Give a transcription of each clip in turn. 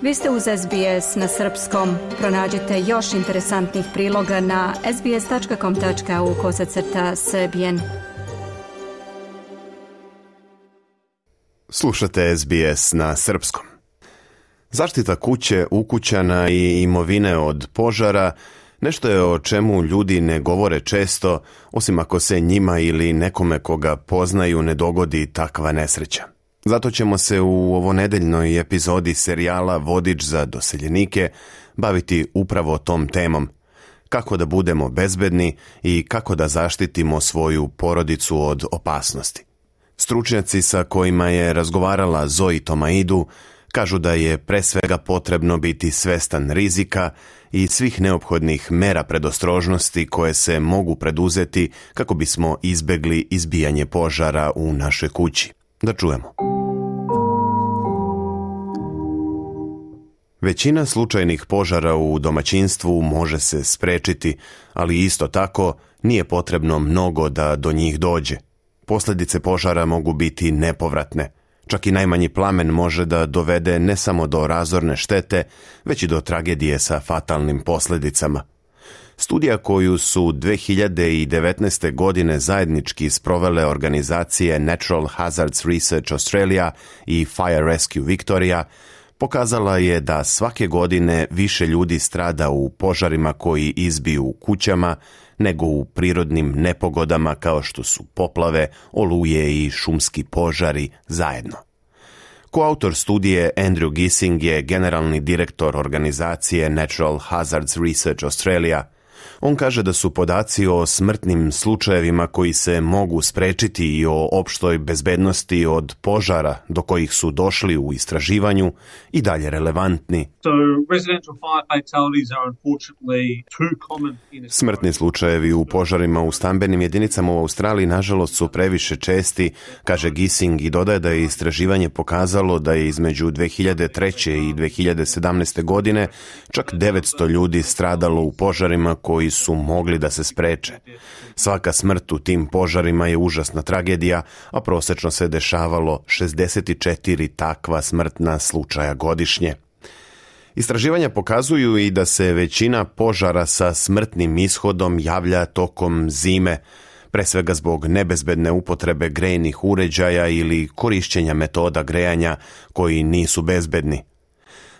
Vi ste uz SBS na srpskom. Pronađite još interesantnih priloga na sbs.com.au/srbijen. Slušate SBS na srpskom. Zaštita kuće, ukućana i imovine od požara nešto je o čemu ljudi ne govore često, osim ako se njima ili nekome koga poznaju ne dogodi takva nesreća. Zato ćemo se u ovonedeljnoj epizodi serijala Vodič za doseljenike baviti upravo tom temom. Kako da budemo bezbedni i kako da zaštitimo svoju porodicu od opasnosti. Stručnjaci sa kojima je razgovarala Zoe Tomaidu kažu da je pre svega potrebno biti svestan rizika i svih neophodnih mera predostrožnosti koje se mogu preduzeti kako bismo izbegli izbijanje požara u našoj kući. Da čujemo. Većina slučajnih požara u domaćinstvu može se sprečiti, ali isto tako nije potrebno mnogo da do njih dođe. Posljedice požara mogu biti nepovratne. Čak i najmanji plamen može da dovede ne samo do razorne štete, već i do tragedije sa fatalnim posljedicama. Studija koju su 2019. godine zajednički sprovele organizacije Natural Hazards Research Australia i Fire Rescue Victoria pokazala je da svake godine više ljudi strada u požarima koji izbiju u kućama nego u prirodnim nepogodama kao što su poplave, oluje i šumski požari zajedno. Koautor studije Andrew Gissing je generalni direktor organizacije Natural Hazards Research Australia. On kaže da su podaci o smrtnim slučajevima koji se mogu sprečiti i o opštoj bezbednosti od požara do kojih su došli u istraživanju i dalje relevantni. Smrtni slučajevi u požarima u stambenim jedinicama u Australiji nažalost su previše česti, kaže Gissing, i dodaje da je istraživanje pokazalo da je između 2003. i 2017. godine čak 900 ljudi stradalo u požarima koji su mogli da se spreče. Svaka smrt u tim požarima je užasna tragedija, a prosečno se dešavalo 64 takva smrtna slučaja godišnje. Istraživanja pokazuju i da se većina požara sa smrtnim ishodom javlja tokom zime, pre svega zbog nebezbedne upotrebe grejnih uređaja ili korišćenja metoda grejanja koji nisu bezbedni.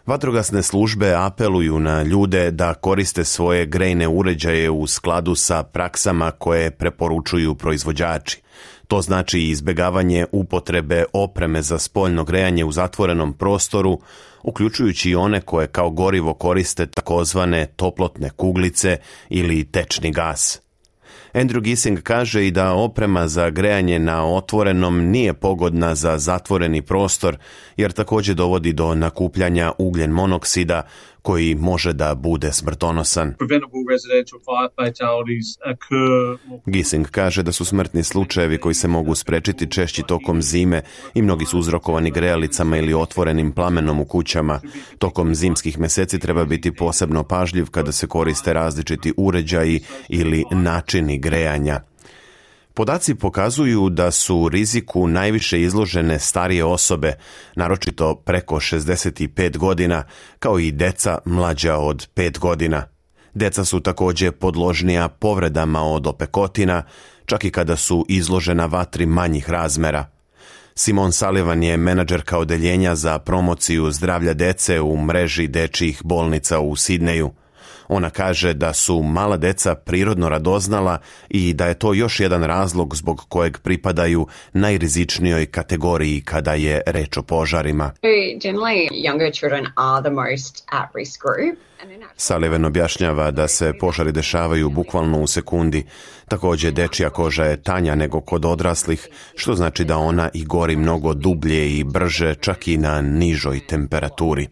Vatrogasne službe apeluju na ljude da koriste svoje grejne uređaje u skladu sa praksama koje preporučuju proizvođači. To znači izbjegavanje upotrebe opreme za spoljno grejanje u zatvorenom prostoru, uključujući i one koje kao gorivo koriste takozvane toplotne kuglice ili tečni gas. Andrew Gissing kaže i da oprema za grejanje na otvorenom nije pogodna za zatvoreni prostor, jer također dovodi do nakupljanja ugljen monoksida koji može da bude smrtonosan. Gissing kaže da su smrtni slučajevi koji se mogu sprečiti češći tokom zime i mnogi su uzrokovani grejalicama ili otvorenim plamenom u kućama. Tokom zimskih mjeseci treba biti posebno pažljiv kada se koriste različiti uređaji ili načini grejanja. Podaci pokazuju da su riziku najviše izložene starije osobe, naročito preko 65 godina, kao i deca mlađa od 5 godina. Deca su također podložnija povredama od opekotina, čak i kada su izložena vatri manjih razmera. Simon Sullivan je menadžerka odeljenja za promociju zdravlja dece u mreži dečjih bolnica u Sidneju. Ona kaže da su mala deca prirodno radoznala i da je to još jedan razlog zbog kojeg pripadaju najrizičnijoj kategoriji kada je reč o požarima. Sullivan objašnjava da se požari dešavaju bukvalno u sekundi. Također dečija koža je tanja nego kod odraslih, što znači da ona i gori mnogo dublje i brže, čak i na nižoj temperaturi.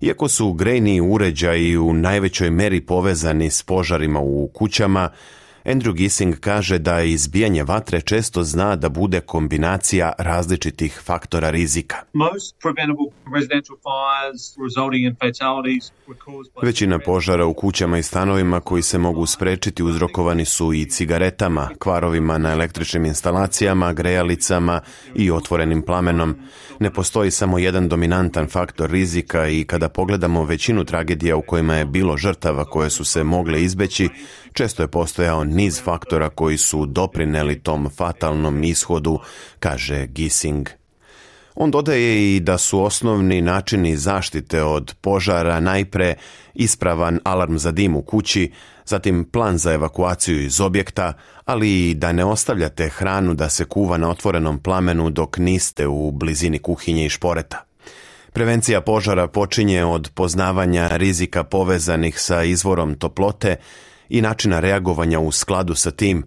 Iako su grejni uređaji u najvećoj meri povezani s požarima u kućama, Andrew Gissing kaže da izbijanje vatre često zna da bude kombinacija različitih faktora rizika. Većina požara u kućama i stanovima koji se mogu sprečiti uzrokovani su i cigaretama, kvarovima na električnim instalacijama, grejalicama i otvorenim plamenom. Ne postoji samo jedan dominantan faktor rizika i kada pogledamo većinu tragedija u kojima je bilo žrtava koje su se mogle izbeći, često je postojao niz faktora koji su doprineli tom fatalnom ishodu, kaže Gissing. On dodaje i da su osnovni načini zaštite od požara najpre ispravan alarm za dim u kući, zatim plan za evakuaciju iz objekta, ali i da ne ostavljate hranu da se kuva na otvorenom plamenu dok niste u blizini kuhinje i šporeta. Prevencija požara počinje od poznavanja rizika povezanih sa izvorom toplote i načina reagovanja u skladu sa tim,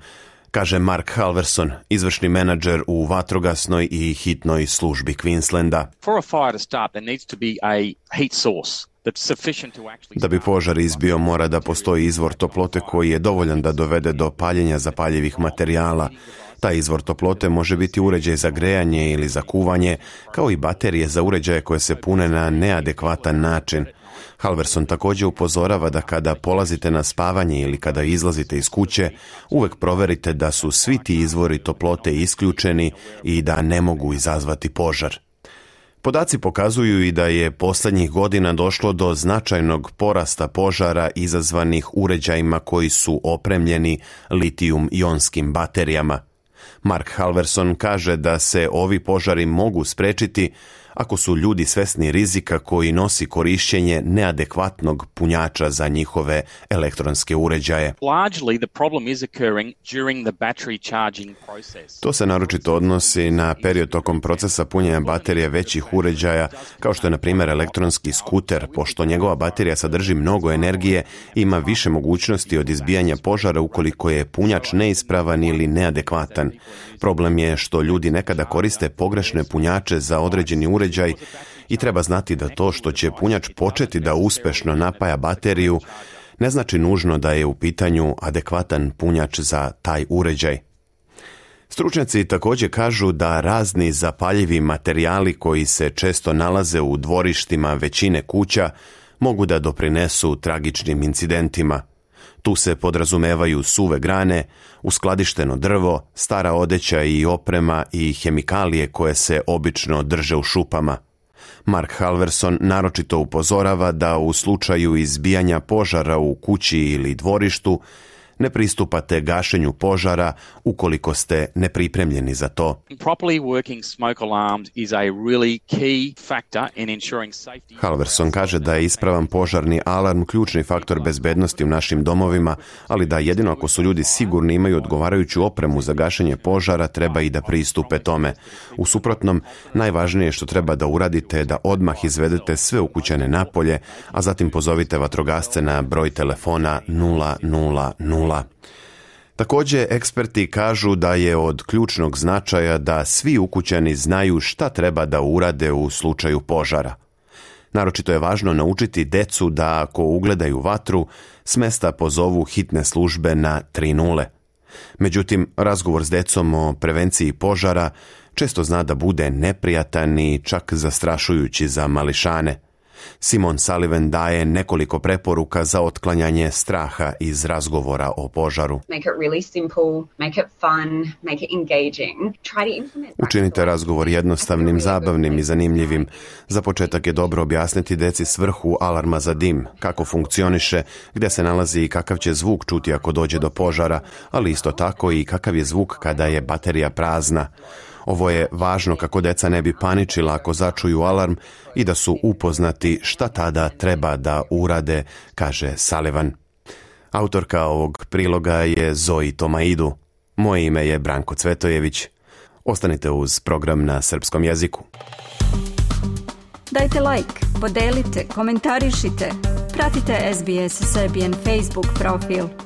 kaže Mark Halverson, izvršni menadžer u vatrogasnoj i hitnoj službi Queenslanda. Da bi požar izbio, mora da postoji izvor toplote koji je dovoljan da dovede do paljenja zapaljivih materijala. Taj izvor toplote može biti uređaj za grejanje ili za kuvanje, kao i baterije za uređaje koje se pune na neadekvatan način. Halverson također upozorava da kada polazite na spavanje ili kada izlazite iz kuće, uvek proverite da su svi ti izvori toplote isključeni i da ne mogu izazvati požar. Podaci pokazuju i da je posljednjih godina došlo do značajnog porasta požara izazvanih uređajima koji su opremljeni litijum-ionskim baterijama. Mark Halverson kaže da se ovi požari mogu sprečiti ako su ljudi svesni rizika koji nosi korišćenje neadekvatnog punjača za njihove elektronske uređaje. To se naročito odnosi na period tokom procesa punjenja baterije većih uređaja, kao što je na primjer elektronski skuter, pošto njegova baterija sadrži mnogo energije i ima više mogućnosti od izbijanja požara ukoliko je punjač neispravan ili neadekvatan. Problem je što ljudi nekada koriste pogrešne punjače za određeni uređaj i treba znati da to što će punjač početi da uspešno napaja bateriju ne znači nužno da je u pitanju adekvatan punjač za taj uređaj. Stručnjaci također kažu da razni zapaljivi materijali koji se često nalaze u dvorištima većine kuća mogu da doprinesu tragičnim incidentima. Tu se podrazumevaju suve grane, uskladišteno drvo, stara odeća i oprema i hemikalije koje se obično drže u šupama. Mark Halverson naročito upozorava da u slučaju izbijanja požara u kući ili dvorištu ne pristupate gašenju požara ukoliko ste nepripremljeni za to. Halverson kaže da je ispravan požarni alarm ključni faktor bezbednosti u našim domovima, ali da jedino ako su ljudi sigurni imaju odgovarajuću opremu za gašenje požara, treba i da pristupe tome. U suprotnom, najvažnije što treba da uradite je da odmah izvedete sve ukućane napolje, a zatim pozovite vatrogasce na broj telefona 000. Također, eksperti kažu da je od ključnog značaja da svi ukućani znaju šta treba da urade u slučaju požara. Naročito je važno naučiti decu da ako ugledaju vatru, s mesta pozovu hitne službe na 30. Međutim, razgovor s decom o prevenciji požara često zna da bude neprijatan i čak zastrašujući za mališane. Simon Sullivan daje nekoliko preporuka za otklanjanje straha iz razgovora o požaru. Učinite razgovor jednostavnim, zabavnim i zanimljivim. Za početak je dobro objasniti deci svrhu alarma za dim, kako funkcioniše, gdje se nalazi i kakav će zvuk čuti ako dođe do požara, ali isto tako i kakav je zvuk kada je baterija prazna. Ovo je važno kako deca ne bi paničila ako začuju alarm i da su upoznati šta tada treba da urade, kaže Sullivan. Autorka ovog priloga je Zoe Tomaidu. Moje ime je Branko Cvetojević. Ostanite uz program na srpskom jeziku. Dajte like, podelite, komentarišite. Pratite SBS Serbian Facebook profil.